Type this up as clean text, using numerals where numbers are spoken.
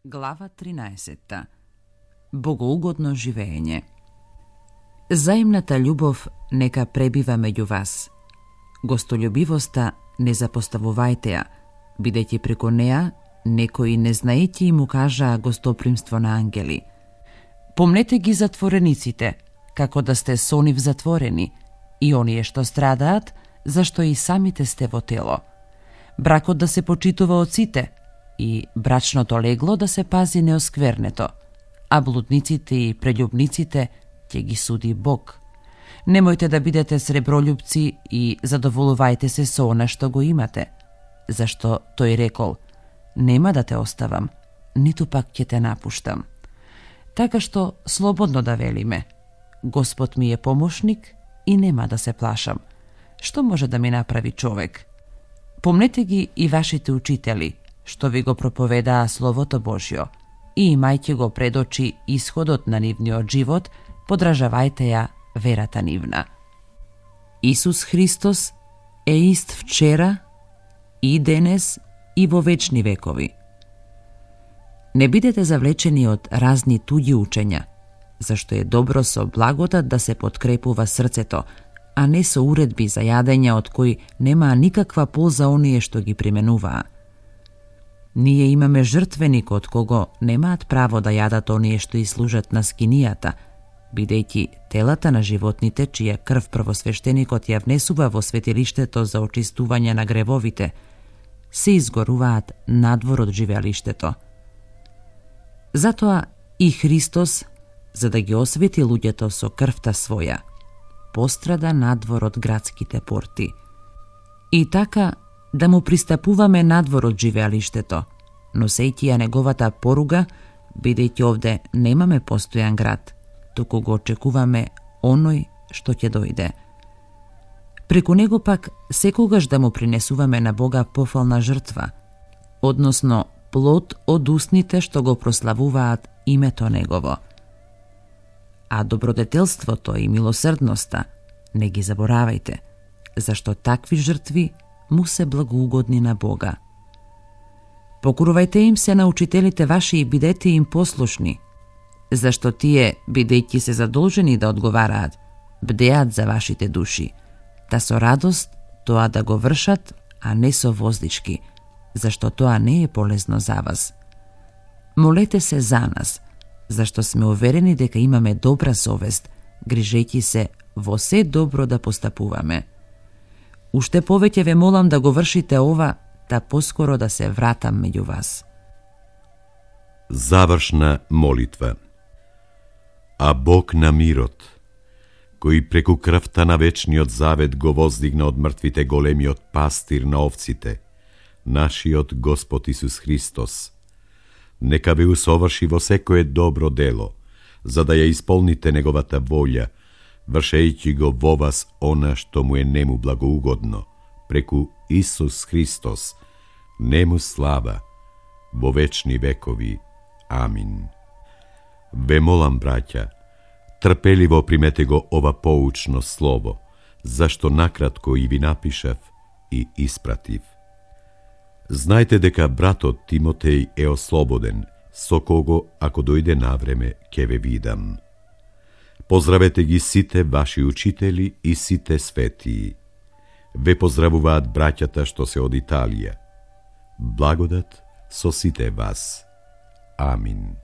Глава 13. Богоугодно живење. Заемната љубов нека пребива меѓу вас. Гостолюбивоста не запоставувајте ја, бидејќи преку неа некои незнаејќи му кажаа гостопримство на ангели. Помнете ги затворениците, како да сте со нив затворени, и оние што страдаат, зашто и самите сте во тело. Бракот да се почитува од сите, и брачното легло да се пази неосквернето, а блудниците и прељубниците ќе ги суди Бог. Немојте да бидете сребролюбци и задоволувајте се со она што го имате, зашто тој рекол: нема да те оставам, ниту пак ќе те напуштам. Така што слободно да велиме: Господ ми е помошник и нема да се плашам. Што може да ми направи човек? Помнете ги и вашите учители, што ви го проповедаа Словото Божјо, и имајќи го пред очи исходот на нивниот живот, подражавајте ја верата нивна. Исус Христос е ист вчера, и денес, и во вечни векови. Не бидете завлечени од разни туѓи учења, зашто е добро со благодат да се подкрепува срцето, а не со уредби за јадење од кои немаа никаква полза оние што ги применуваа. Ние имаме жртвеник од кого немаат право да јадат оние што и служат на скинијата, бидејќи телата на животните, чија крв првосвештеникот ја внесува во светилиштето за очистување на гревовите, се изгоруваат надвор од живеалиштето. Затоа и Христос, за да ги освети луѓето со крвта своја, пострада надвор од градските порти. И така да му пристапуваме надвор од живеалиштето, носејќи ја неговата поруга, бидејќи овде немаме постојан град, туку го очекуваме оној што ќе дојде. Преку него пак секогаш да му принесуваме на Бога пофална жртва, односно плод од устните што го прославуваат името негово. А добродетелството и милосрдноста не ги заборавајте, зашто такви жртви му се благоугодни на Бога. Покорувајте им се на учителите ваши и бидете им послушни, зашто тие, бидејќи се задолжени да одговараат, бдеат за вашите души, та со радост тоа да го вршат, а не со воздички, зашто тоа не е полезно за вас. Молете се за нас, зашто сме уверени дека имаме добра совест, грижејќи се во се добро да постапуваме. Уште повеќе ве молам да го вршите ова, да поскоро да се вратам меѓу вас. Завршна молитва. А Бог на мирот, кој преку крвта на вечниот завет го воздигна од мртвите големиот пастир на овците, нашиот Господ Исус Христос, нека ве усоврши во секое добро дело, за да ја исполните неговата волја, вршејќи го во вас она што му е нему благоугодно, преку Исус Христос, нему слава, во вечни векови. Амин. Ве молам, браќа, трпеливо примете го ова поучно слово, зашто накратко и ви напишав и испратив. Знајте дека братот Тимотеј е ослободен, со кого, ако дојде навреме, ќе ве видам. Поздравете ги сите ваши учители и сите светии. Ве поздравуваат браќата што се од Италија. Благодат со сите вас. Амин.